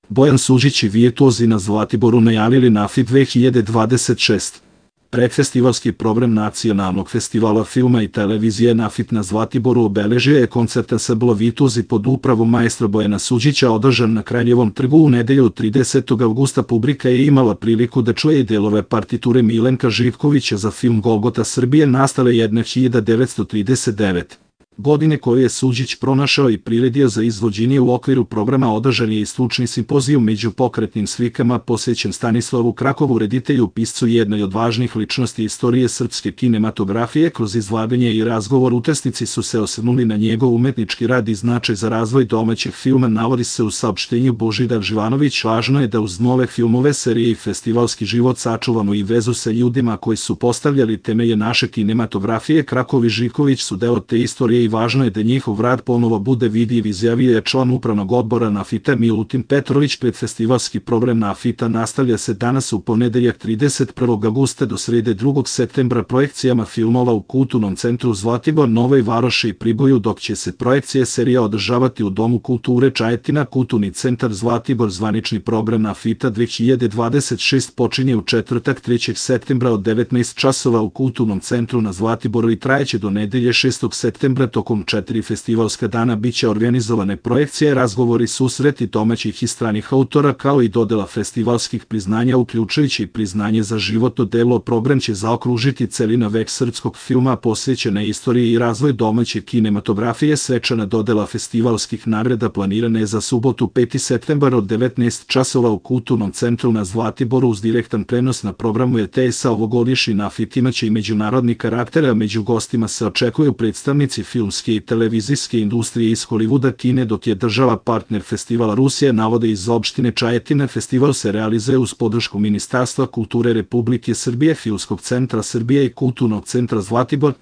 Bojan Suđić i virtuozi na Zlatiboru najavili NAFIT 2026. Predfestivalski program Nacionalnog festivala filma i televizije NAFIT na Zlatiboru obeležio je koncert Ansambla Virtuozi pod upravom maestra Bojana Suđića održan na Kraljevom trgu u nedelju 30. avgusta. Publika je imala priliku da čuje i delove partiture Milenka Živkovića za film Golgota Srbije nastale 1939. godine, koju je Suđić pronašao i priredio za izvođenje. U okviru programa održan je i stručni simpozijum među pokretnim slikama posvećen Stanislavu Krakovu, reditelju, piscu i jednoj od važnih ličnosti istorije srpske kinematografije. Kroz izlaganje i razgovor učesnici su se osvrnuli na njegov umetnički rad i značaj za razvoj domaćeg filma. Navodi se u saopštenju Božidar Živanović: važno je da uz nove filmove, serije i festivalski život sačuvamo i vezu sa ljudima koji su postavljali temelje naše kinematografije. Krakov i Živković su deo te istorije i važno je da njihov rad ponovo bude vidljiv, izjavio je član upravnog odbora NAFIT-a Milutin Petrović. Predfestivalski program NAFIT-a nastavlja se danas u ponedeljak 31. avgusta do srede 2. septembra projekcijama filmova u Kulturnom centru Zlatibor, Novoj Varoši i Priboju, dok će se projekcije serija održavati u Domu kulture Čajetina. Kulturni centar Zlatibor. Zvanični program NAFIT-a 2026 počinje u četvrtak 3. septembra od 19 časova u Kulturnom centru na Zlatiboru i trajeće do nedelje 6. septembra. Tokom 4 festivalska dana biće organizovane projekcije, razgovori, susreti domaćih i stranih autora, kao i dodela festivalskih priznanja, uključujući i priznanje za životno delo. Program će zaokružiti celina vek srpskog filma posvećena istoriji i razvoj domaće kinematografije. Svečana dodela festivalskih nagrada planirana je za subotu 5. septembar od 19 časova u Kulturnom centru na Zlatiboru. Uz direktan prenos na programu RTS-a ovogodišnji NAFIT imaće i međunarodni karakter, a među gostima se očekuju predstavnici filmske i televizijske industrije iz Hollywooda, Kine, dok je država partner festivala Rusija, navode iz opštine Čajetina. Festival se realizuje uz podršku Ministarstva kulture Republike Srbije, Filmskog centra Srbije i Kulturnog centra Zlatibor.